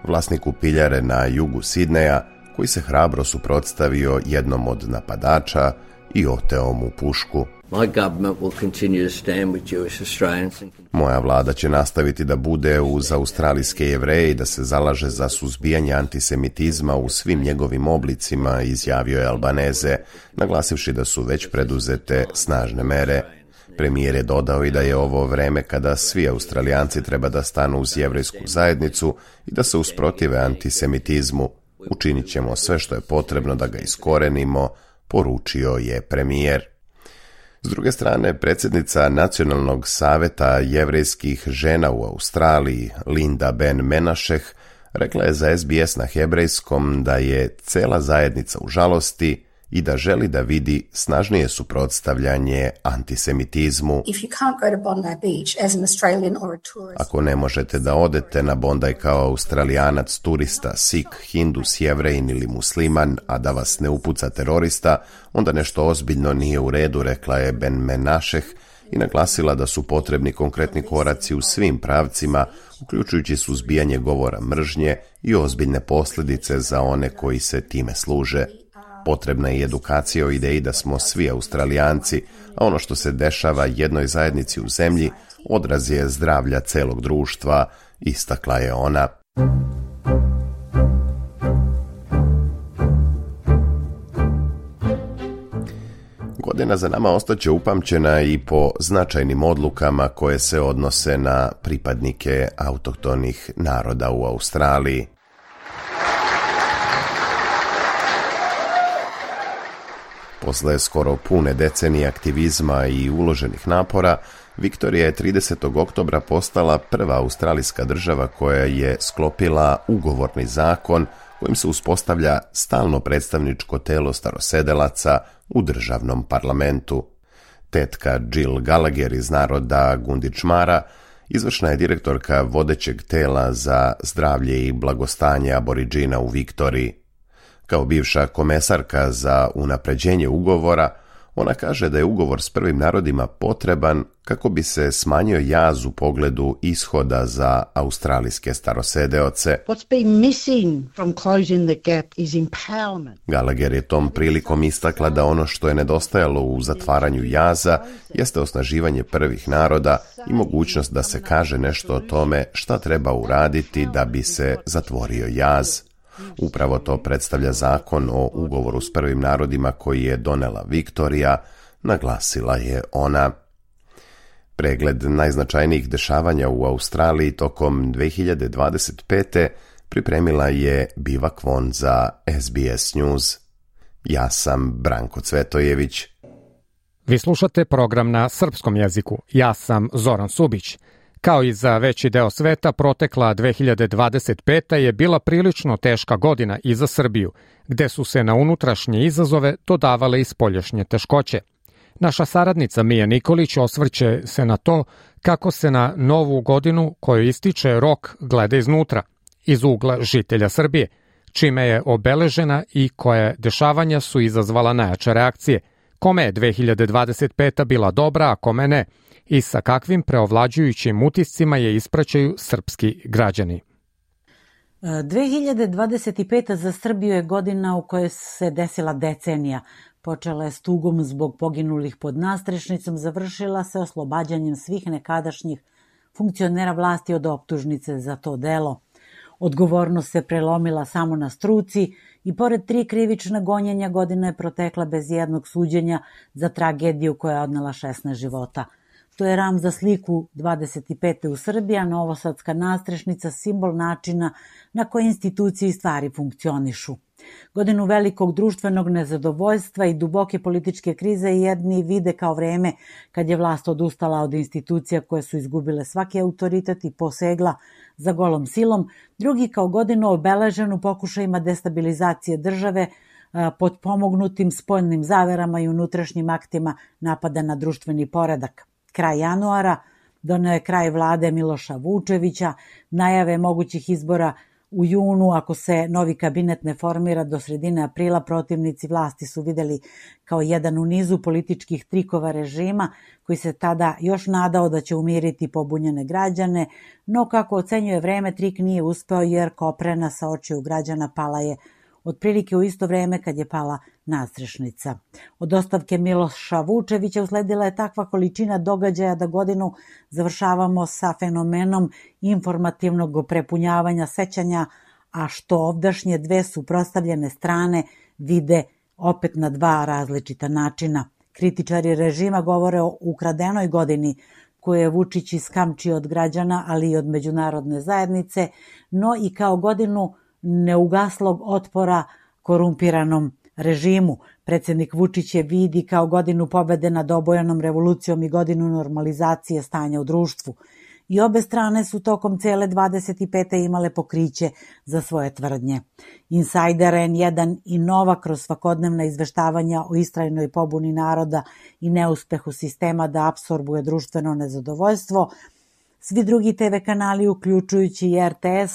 Speaker 8: vlasniku piljare na jugu Sidneja, koji se hrabro suprotstavio jednom od napadača i oteo mu pušku. Moja vlada će nastaviti da bude uz australijske Jevreje i da se zalaže za suzbijanje antisemitizma u svim njegovim oblicima, izjavio je Albanese, naglasivši da su već preduzete snažne mere. Premijer je dodao i da je ovo vreme kada svi Australijanci treba da stanu uz jevrejsku zajednicu i da se usprotive antisemitizmu. Učinit ćemo sve što je potrebno da ga iskorenimo, poručio je premijer. S druge strane, predsjednica Nacionalnog saveta jevrejskih žena u Australiji, Linda Ben Menasheh, rekla je za SBS na hebrejskom da je cela zajednica u žalosti i da želi da vidi snažnije suprotstavljanje antisemitizmu. Ako ne možete da odete na Bondi kao Australijanac, turista, Sikh, Hindus, Jevrejin ili musliman, a da vas ne upuca terorista, onda nešto ozbiljno nije u redu, rekla je Ben Menasheh i naglasila da su potrebni konkretni koraci u svim pravcima, uključujući suzbijanje govora mržnje i ozbiljne posljedice za one koji se time služe. Potrebna je edukacija o ideji da smo svi Australijanci, a ono što se dešava jednoj zajednici u zemlji odraz je zdravlja celog društva, istakla je ona. Godina za nama ostaće upamćena i po značajnim odlukama koje se odnose na pripadnike autohtonih naroda u Australiji. Posle skoro pune decenije aktivizma i uloženih napora, Viktorija je 30. oktobra postala prva australijska država koja je sklopila ugovorni zakon kojim se uspostavlja stalno predstavničko telo starosedelaca u državnom parlamentu. Tetka Jill Gallagher iz naroda Gundičmara izvršna je direktorka vodećeg tela za zdravlje i blagostanje aboriđina u Viktoriji. Kao bivša komesarka za unapređenje ugovora, ona kaže da je ugovor s prvim narodima potreban kako bi se smanjio jaz u pogledu ishoda za australijske starosedeoce. Gallagher je tom prilikom istakla da ono što je nedostajalo u zatvaranju jaza jeste osnaživanje prvih naroda i mogućnost da se kaže nešto o tome šta treba uraditi da bi se zatvorio jaz. Upravo to predstavlja zakon o ugovoru s prvim narodima koji je donela Viktorija, naglasila je ona. Pregled najznačajnijih dešavanja u Australiji tokom 2025. pripremila je Bivak Von za SBS News. Ja sam Branko Cvetojević.
Speaker 3: Vi slušate program na srpskom jeziku. Ja sam Zoran Subić. Kao i za veći deo sveta, protekla 2025. je bila prilično teška godina i za Srbiju, gde su se na unutrašnje izazove dodavale i spoljašnje teškoće. Naša saradnica Mija Nikolić osvrće se na to kako se na novu godinu koju ističe rok gleda iznutra, iz ugla žitelja Srbije, čime je obeležena i koje dešavanja su izazvala najjače reakcije, kome je 2025. bila dobra, a kome ne, i sa kakvim preovlađujućim utiscima je ispraćaju srpski građani.
Speaker 11: 2025. za Srbiju je godina u kojoj se desila decenija. Počela je s tugom zbog poginulih pod nastrešnicom, završila se oslobađanjem svih nekadašnjih funkcionera vlasti od optužnice za to delo. Odgovornost se prelomila samo na struci i pored 3 krivična gonjenja godina je protekla bez jednog suđenja za tragediju koja je odnela 16 života. To je ram za sliku 25. u Srbiji, a novosadska nastrešnica simbol načina na koji institucije i stvari funkcionišu. Godinu velikog društvenog nezadovoljstva i duboke političke krize jedni vide kao vreme kad je vlast odustala od institucija koje su izgubile svaki autoritet i posegla za golom silom, drugi kao godinu obeleženu pokušajima destabilizacije države pod pomognutim spoljnim zaverama i unutrašnjim aktima napada na društveni poredak. Kraj januara doneo je kraj vlade Miloša Vučevića, najave mogućih izbora u junu, ako se novi kabinet ne formira do sredine aprila, protivnici vlasti su videli kao jedan u nizu političkih trikova režima koji se tada još nadao da će umiriti pobunjene građane, no kako ocenjuje vreme, trik nije uspeo jer koprena sa očiju građana pala je otprilike u isto vreme kad je pala nastrešnica. Od ostavke Miloša Vučevića usledila je takva količina događaja da godinu završavamo sa fenomenom informativnog prepunjavanja sećanja, a što ovdašnje dve suprotstavljene strane vide opet na dva različita načina. Kritičari režima govore o ukradenoj godini koju je Vučić iskamčio od građana, ali i od međunarodne zajednice, no i kao godinu neugaslog otpora korumpiranom režimu. Predsjednik Vučić je vidi kao godinu pobede nad obojanom revolucijom i godinu normalizacije stanja u društvu. I obe strane su tokom cele 25. imale pokriće za svoje tvrdnje. Insajder N1 i Nova kroz svakodnevna izveštavanja o istrajnoj pobuni naroda i neuspehu sistema da apsorbuje društveno nezadovoljstvo, svi drugi TV kanali, uključujući i RTS,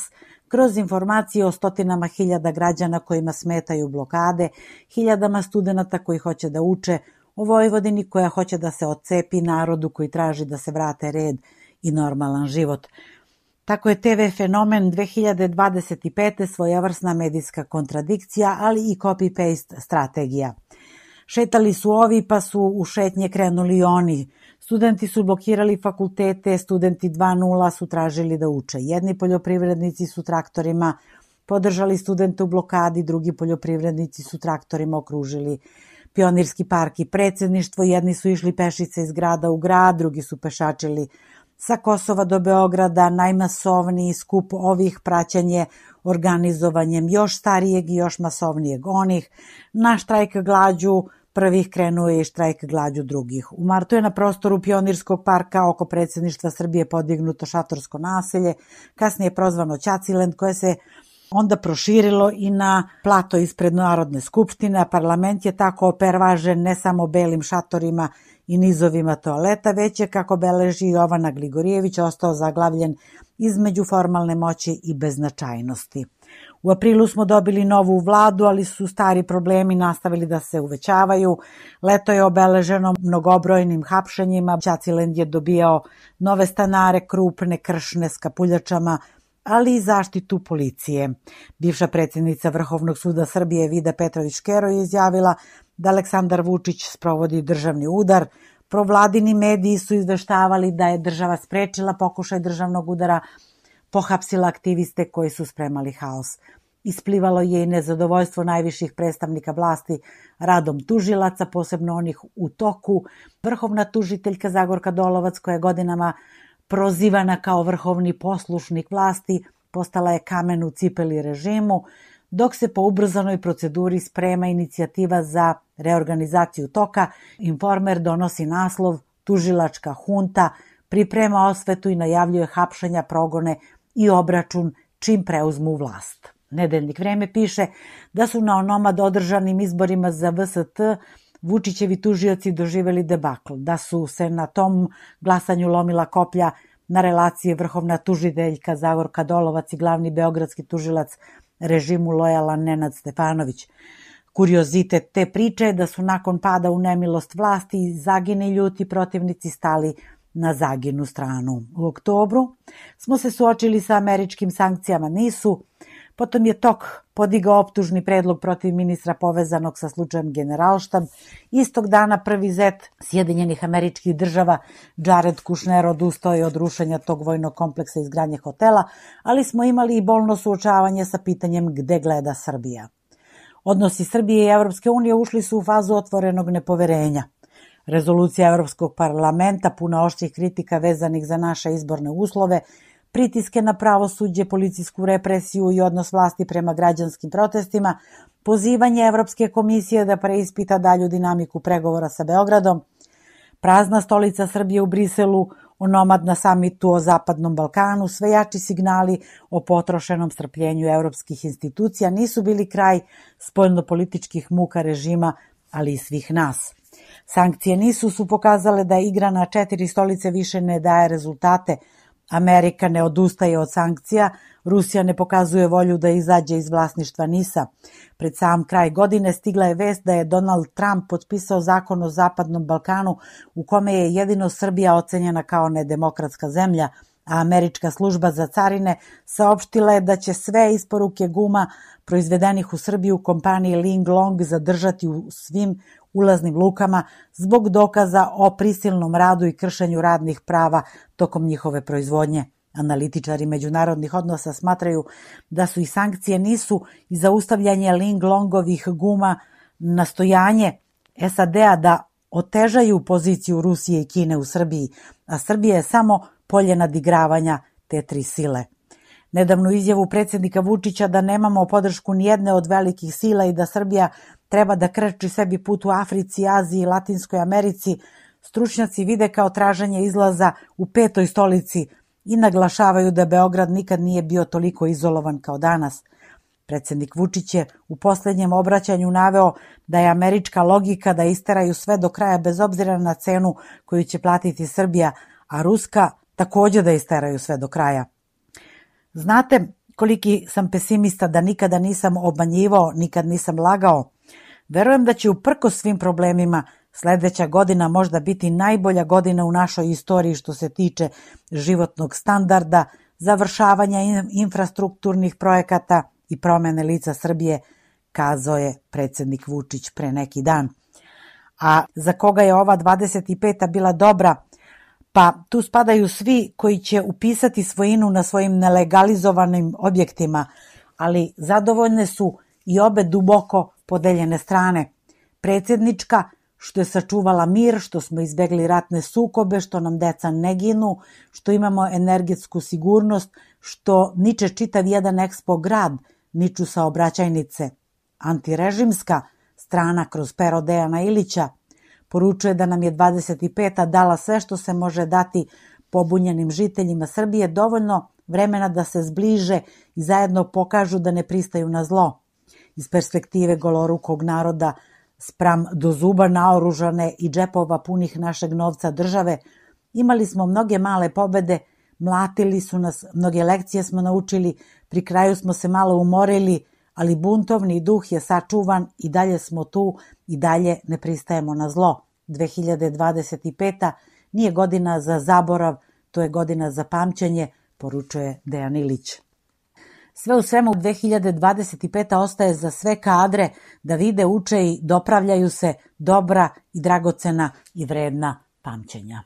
Speaker 11: kroz informacije o stotinama hiljada građana kojima smetaju blokade, hiljadama studenata koji hoće da uče, o Vojvodini koja hoće da se otcepi, narodu koji traži da se vrate red i normalan život. Tako je TV fenomen 2025. svojevrsna medijska kontradikcija, ali i copy-paste strategija. Šetali su ovi pa su u šetnje krenuli i oni. Studenti su blokirali fakultete, studenti 2.0 su tražili da uče. Jedni poljoprivrednici su traktorima podržali studente u blokadi, drugi poljoprivrednici su traktorima okružili Pionirski park i predsjedništvo. Jedni su išli pešice iz grada u grad, drugi su pešačili sa Kosova do Beograda. Najmasovniji skup ovih praćanje organizovanjem još starijeg i još masovnijeg onih. Na štrajk glađu prvih krenuo je i štrajk glađu drugih. U martu je na prostoru Pionirskog parka oko predsjedništva Srbije podignuto šatorsko naselje, kasnije prozvano Ćacilend, koje se onda proširilo i na plato ispred Narodne skupštine, a parlament je tako opervažen ne samo belim šatorima i nizovima toaleta, već je, kako beleži Jovana Gligorijević, ostao zaglavljen između formalne moći i beznačajnosti. U aprilu smo dobili novu vladu, ali su stari problemi nastavili da se uvećavaju. Leto je obeleženo mnogobrojnim hapšenjima. Ćacilend je dobijao nove stanare, krupne, kršne, s kapuljačama, ali i zaštitu policije. Bivša predsjednica Vrhovnog suda Srbije Vida Petrović-Škero je izjavila da Aleksandar Vučić sprovodi državni udar. Provladini mediji su izveštavali da je država sprečila pokušaj državnog udara, pohapsila aktiviste koji su spremali haos. Isplivalo je i nezadovoljstvo najviših predstavnika vlasti radom tužilaca, posebno onih u toku. Vrhovna tužiteljka Zagorka Dolovac, koja je godinama prozivana kao vrhovni poslušnik vlasti, postala je kamen u cipeli režimu, dok se po ubrzanoj proceduri sprema inicijativa za reorganizaciju toka. Informer donosi naslov Tužilačka hunta, priprema osvetu i najavljuje hapšenja, progone i obračun čim preuzmu vlast. Nedeljnik Vreme piše da su na onomad održanim izborima za VST Vučićevi tužioci doživeli debakl, da su se na tom glasanju lomila koplja na relacije vrhovna tužiteljka Zagorka Dolovac i glavni beogradski tužilac režimu lojalan Nenad Stefanović. Kuriozitet te priče je da su nakon pada u nemilost vlasti Zagini ljuti protivnici stali na Zaginu stranu. U oktobru smo se suočili sa američkim sankcijama NIS-u, potom je TOK podigao optužni predlog protiv ministra povezanog sa slučajem Generalštab. Istog dana prvi zet Sjedinjenih Američkih Država Jared Kushner odustao je od rušenja tog vojnog kompleksa i izgradnje hotela, ali smo imali i bolno suočavanje sa pitanjem gde gleda Srbija. Odnosi Srbije i Evropske unije ušli su u fazu otvorenog nepoverenja. Rezolucija Evropskog parlamenta, puna oštrih kritika vezanih za naše izborne uslove, pritiske na pravosuđe, policijsku represiju i odnos vlasti prema građanskim protestima, pozivanje Evropske komisije da preispita dalju dinamiku pregovora sa Beogradom, prazna stolica Srbije u Briselu, onomad na samitu o Zapadnom Balkanu, sve jači signali o potrošenom strpljenju evropskih institucija nisu bili kraj spoljnopolitičkih muka režima, ali i svih nas. Sankcije NIS-u su pokazale da igra na 4 stolice više ne daje rezultate. Amerika ne odustaje od sankcija, Rusija ne pokazuje volju da izađe iz vlasništva NIS-a. Pred sam kraj godine stigla je vest da je Donald Trump potpisao zakon o Zapadnom Balkanu u kome je jedino Srbija ocenjena kao nedemokratska zemlja, a američka služba za carine saopštila je da će sve isporuke guma proizvedenih u Srbiju kompaniji Ling Long zadržati u svim ulaznim lukama zbog dokaza o prisilnom radu i kršenju radnih prava tokom njihove proizvodnje. Analitičari međunarodnih odnosa smatraju da su i sankcije NIS-u i zaustavljanje Ling Longovih guma nastojanje SAD-a da otežaju poziciju Rusije i Kine u Srbiji, a Srbija je samo polje nadigravanja te tri sile. Nedavnu izjavu predsjednika Vučića da nemamo podršku nijedne od velikih sila i da Srbija treba da krči sebi put u Africi, Aziji i Latinskoj Americi, stručnjaci vide kao traženje izlaza u 5. stolici i naglašavaju da Beograd nikad nije bio toliko izolovan kao danas. Predsjednik Vučić je u posljednjem obraćanju naveo da je američka logika da isteraju sve do kraja bez obzira na cenu koju će platiti Srbija, a ruska također da isteraju sve do kraja. Znate koliki sam pesimista, da nikada nisam obmanjivao, nikad nisam lagao. Verujem da će uprkos svim problemima sledeća godina možda biti najbolja godina u našoj istoriji što se tiče životnog standarda, završavanja infrastrukturnih projekata i promene lica Srbije, kazao je predsjednik Vučić pre neki dan. A za koga je ova 25. bila dobra? Pa tu spadaju svi koji će upisati svojinu na svojim nelegalizovanim objektima, ali zadovoljne su i obe duboko podeljene strane. Predsjednička, što je sačuvala mir, što smo izbegli ratne sukobe, što nam deca ne ginu, što imamo energetsku sigurnost, što niče čitav jedan ekspo grad, niču saobraćajnice. Antirežimska strana kroz pero Dejana Ilića poručuje da nam je 25. dala sve što se može dati pobunjenim žiteljima Srbije, dovoljno vremena da se zbliže i zajedno pokažu da ne pristaju na zlo. Iz perspektive golorukog naroda spram do zuba naoružane i džepova punih našeg novca države, imali smo mnoge male pobede, mlatili su nas, mnoge lekcije smo naučili, pri kraju smo se malo umorili, ali buntovni duh je sačuvan i dalje smo tu i dalje ne pristajemo na zlo. 2025. nije godina za zaborav, to je godina za pamćenje, poručuje Dejan Ilić. Sve u svemu 2025. ostaje za sve kadre da vide, uče i dopravljaju se dobra i dragocena i vredna pamćenja.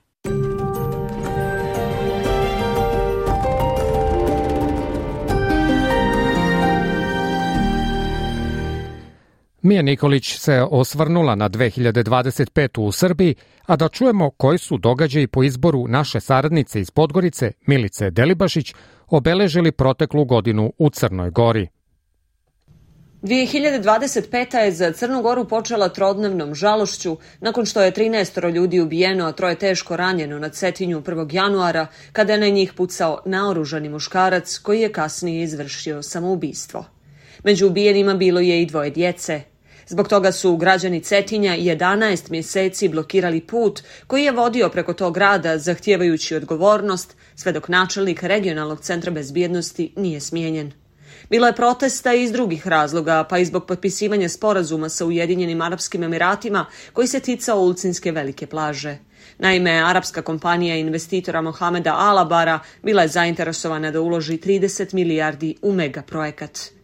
Speaker 3: Mija Nikolić se osvrnula na 2025. u Srbiji, a da čujemo koji su događaji po izboru naše saradnice iz Podgorice, Milice Delibašić, obeležili proteklu godinu u Crnoj Gori.
Speaker 12: 2025. je za Crnu Goru počela trodnevnom žalošću nakon što je 13 ljudi ubijeno, a 3 teško ranjeno na Cetinju 1. januara, kada je na njih pucao naoružani muškarac koji je kasnije izvršio samoubistvo. Među ubijenima bilo je i 2 djece. Zbog toga su građani Cetinja 11 mjeseci blokirali put koji je vodio preko tog grada, zahtijevajući odgovornost, sve dok načelnik regionalnog centra bezbjednosti nije smijenjen. Bilo je protesta i iz drugih razloga, pa i zbog potpisivanja sporazuma sa Ujedinjenim Arapskim Emiratima koji se ticao Ulcinske velike plaže. Naime, arapska kompanija investitora Mohameda Alabara bila je zainteresovana da uloži 30 milijardi u megaprojekat.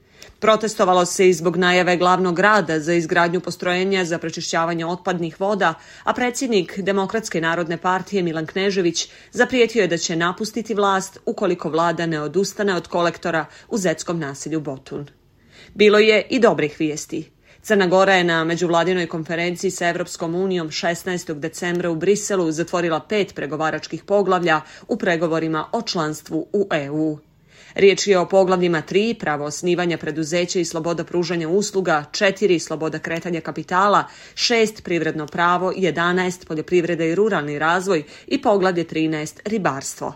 Speaker 12: Protestovalo se i zbog najave glavnog grada za izgradnju postrojenja za prečišćavanje otpadnih voda, a predsjednik Demokratske narodne partije Milan Knežević zaprijetio je da će napustiti vlast ukoliko vlada ne odustane od kolektora u zetskom naselju Botun. Bilo je i dobrih vijesti. Crna Gora je na međuvladinoj konferenciji sa Evropskom unijom 16. decembra u Briselu zatvorila 5 pregovaračkih poglavlja u pregovorima o članstvu u EU. Riječ je o poglavljima 3, pravo osnivanja preduzeća i sloboda pružanja usluga, 4, sloboda kretanja kapitala, 6, privredno pravo, 11, poljoprivreda i ruralni razvoj i poglavlje 13, ribarstvo.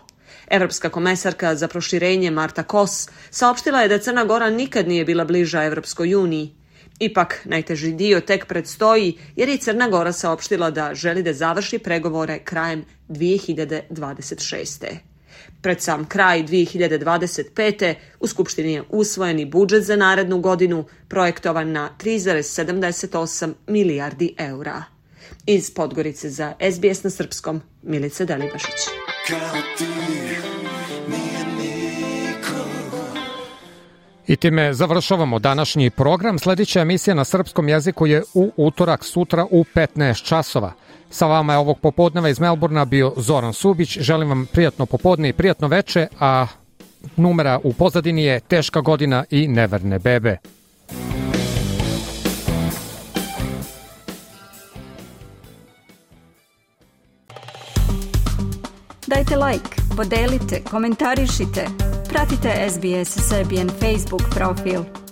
Speaker 12: Evropska komesarka za proširenje Marta Kos saopštila je da Crna Gora nikad nije bila bliža Evropskoj uniji. Ipak, najteži dio tek predstoji jer je Crna Gora saopštila da želi da završi pregovore krajem 2026. Pred sam kraj 2025. u Skupštini je usvojeni budžet za narednu godinu, projektovan na 3,78 milijardi eura. Iz Podgorice za SBS na srpskom, Milica Delibašić.
Speaker 3: I time završavamo današnji program. Sljedeća emisija na srpskom jeziku je u utorak sutra u 15 časova. Sa vama je ovog popodneva iz Melburna bio Zoran Subić. Želim vam prijatno popodne i prijatno veče, a numera u pozadini je Teška godina i Neverne bebe.
Speaker 1: Dajte like, podelite, komentarišite. Pratite SBS Serbian Facebook profil.